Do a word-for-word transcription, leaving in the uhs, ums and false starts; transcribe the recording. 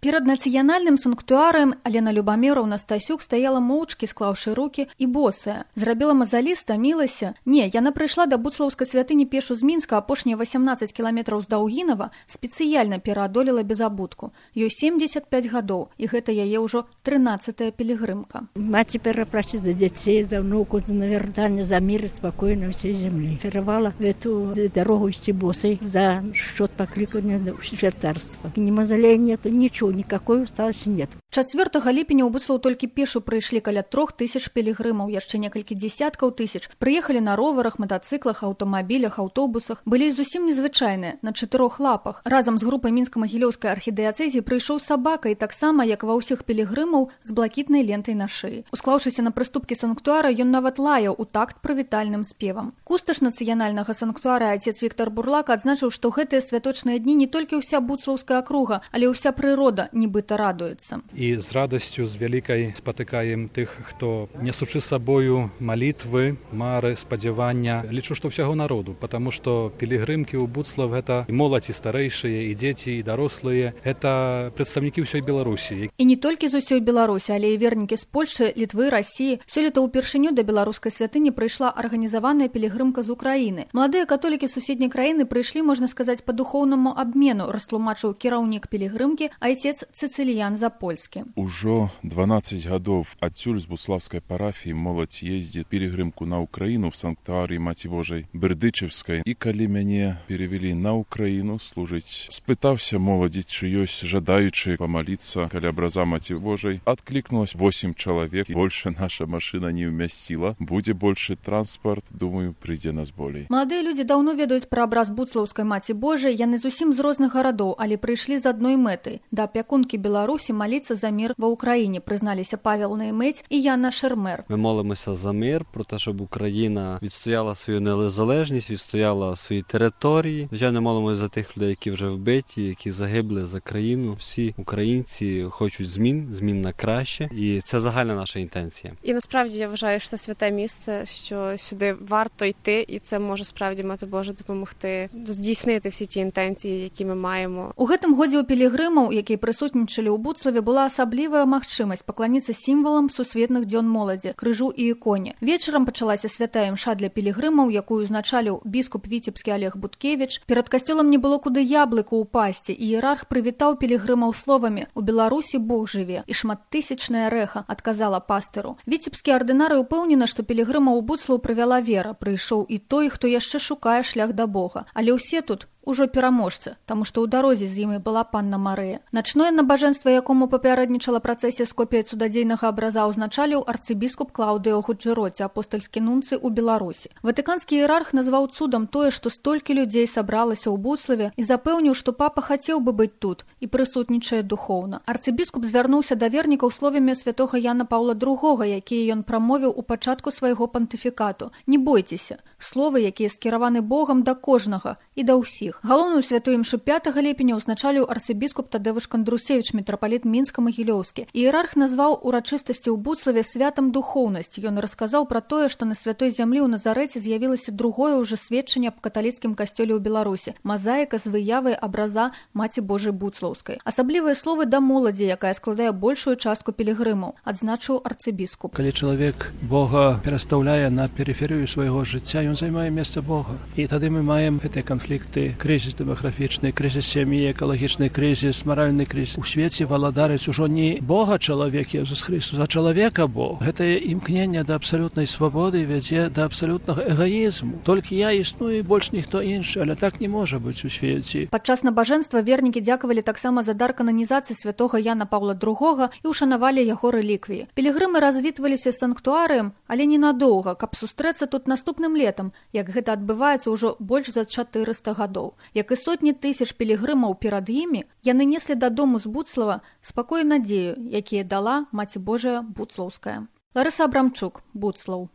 Перад нацыянальным санктуарыем Алена Любаміраўна Стасюк стаяла моўчкі, склаўшы рукі, і босая. Зрабіла мазалі, стамілася. Не, яна прыйшла да буцлаўскай святыні пешу з Мінска, апошнія васямнаццаць кіламетраў з Даўгінава, спецыяльна пераадолела без абутку. Ёй семдзесят пяць гадоў, і гэта яе ўжо трынаццатая пілігрымка. Маці перапрасіць за дзяцей, за внуку, за навяртанне, за мір і спакойна ўсёй зямлі. Кіравала гэту дарогу ісці босай за счёт паклікання ў святарства. Ні мазалей нет, нічого, никакой усталости нет. чацвёртага ліпеня ў Буцлаў толькі пешу прыйшлі каля трох тысяч пілігрымаў, яшчэ некалькі дзесяткаў тысяч. Прыехалі на роварах, матацыклах, аўтамабілях, аўтобусах. Былі зусім незвычайныя, на чатырох лапах. Разам з групай мінска-магілёўскай архідыяцэзіі прыйшоў сабака, і таксама, як ва ўсіх пілігрымаў, з блакітнай лентай на шыі. Усклаўшыся на прыступкі санктуара, ён нават лаяў у такт прывітальным спевам. Кусташ нацыянальнага санктуара отец Віктор Бурлак адзначыў, што гэтыя святочныя дні не толькі ўся буцлаўская акруга, але ўся прырода нібыта радуецца. І з радасцю, з вялікай спатыкаем тых, хто несучы сабою малітвы, мары, спадзявання. Лічу, што ўсяго народу, потому што пілігрымкі ў Буцлаў гэта і моладзь, і старэйшыя, і дзеці, і дарослыя. Гэта прадстаўнікі ўсёй Беларусі. І не толькі з усёй Беларусі, але і вернікі з Польшы, Літвы, Расіі. Сёлета ўпершыню да беларускай святыні прыйшла арганізаваная пілігрымка з Украіны. Маладыя католікі суседняй краіны прыйшлі, можна сказаць, па духоўнаму абмену, растлумачыў кіраўнік пілігрымкі айцец Цыцыліян Запольскі. Ужо дванаццаць гадоў адсюль з буцлаўскай парафіі моладзь ездзіць пілігрымку на Украіну в санктуарыі Маці Божай Бердычевскай. І калі мяне перевялі на Украіну служыць, спытаўся моладзі, чи ёсць жадаючы памаліцца каля абраза Маці Божай. Адклікнулась восемь чалавек. Больше наша машина не ўмясціла. Будзе больше транспорт, думаю, прыйдзе нас болей. Маладыя людзі даўно ведаюць пра абраз буцлаўскай Маці Божай. Яны зусім з розных гарадоў, але прыйшлі з адной мэтай. Да апякункі Беларусі маліцца за мір ва Україні, призналися Павел Наймець і Яна Шермер. Ми молимося за мир, про те, щоб Україна відстояла свою незалежність, відстояла свої території. Звичайно, молимося за тих людей, які вже вбиті, які загибли за країну. Всі українці хочуть змін, змін на краще, і це загальна наша інтенція. І насправді я вважаю, що це святе місце, що сюди варто йти, і це може справді Мати Божа допомогти здійснити всі ті інтенції, які ми маємо. У гэтым годзе у пілігрымаў, які прысутнічалі ў Буцлаве, была асаблівая магчымасць пакланіцца сімвалам сусветных дзён моладзі, крыжу і іконе. Вечарам пачалася святая імша для пілігрымаў, якую узначаліў біскуп віцебскі Олег Буткевіч. Перад касцёлам не было куды яблыку ўпасці, і іерарх прывітаў пілігрымаў словамі: «У Беларусі Бог жыве», і шматтысячнае рэха адказала пастыру. Віцебскія ардынары ўпэўнены, што пілігрымаў у Буцлаў прывяла вера. Прыйшоў і той, хто яшчэ шукае шлях да Бога. Але ўсе тут ужо пераможцы, таму што ў дарозе з імі была панна Марыя. Начное набажэнства, якому папярэднічала працэсія з копіяй цудадзейнага абраза, узначаліў арцыбіскуп Клаўдыо Гуджэроці, апостальскі нунцы ў Беларусі. Ватыканскі іерарх назваў цудам тое, што столькі людзей сабралася ў Буцлаве, і запэўніў, што папа хацеў бы быць тут і прысутнічае духоўна. Арцыбіскуп звярнуўся да вернікаў словамі святога Яна Паўла другога, якія ён прамовіў у пачатку свайго пантыфікату. Не бойцеся, словы, якія скіраваны Богам да кожнага і да ўсіх. Галоўную святую імшу пятага ліпеня ўзначаліў арцыбіскуп Тадэвыш Кандрусевіч, мітрапаліт мінска-магілёўскі. Іерарх назваў урачыстасці ў Буцлаве святам духоўнасць. Ён расказаў пра тое, што на святой зямлі ў Назарэце з'явілася другое ўжо сведчанне аб каталіцкім касцёле ў Беларусі — мазаіка з выявай абраза Маці Божай Буцлаўскай. Асаблівыя словы да моладзі, якая складае большую частку пілігрымаў, адзначыў арцыбіскуп. Калі чалавек Бога перастаўляе на перыферыю свайго жыцця, ён займае месца Бога. І тады мы маем гэтыя канфлікты, крызіс дэмаграфічны, крызіс сям'і, экалагічны крызіс, маральны крызіс. У свеце валадарыць ужо не Бога чалавек Езус Христос, а чалавека Бог. Гэтае імкненне да абсалютнай свабоды вядзе да абсалютнага эгоізму. Толькі я існую, больш ніхто іншы, але так не можа быць у свеце. Падчас набажэнства вернікі дзякавалі таксама за дар кананізацыі святога Яна Паўла другога і ушанавалі яго рэліквіі. Пілігрымы развітваліся санктуарыем, але ненадоўга, каб сустрэцца тут наступным летам, як гэта адбываецца ўжо больш за чатырыста гадоў. Як і сотні тысяч пілігрымаў перад імі, яны неслі дадому з Буцлава спакой і надзею, якія дала Маці Божая Буцлаўская. Ларыса Абрамчук, Буцлаў.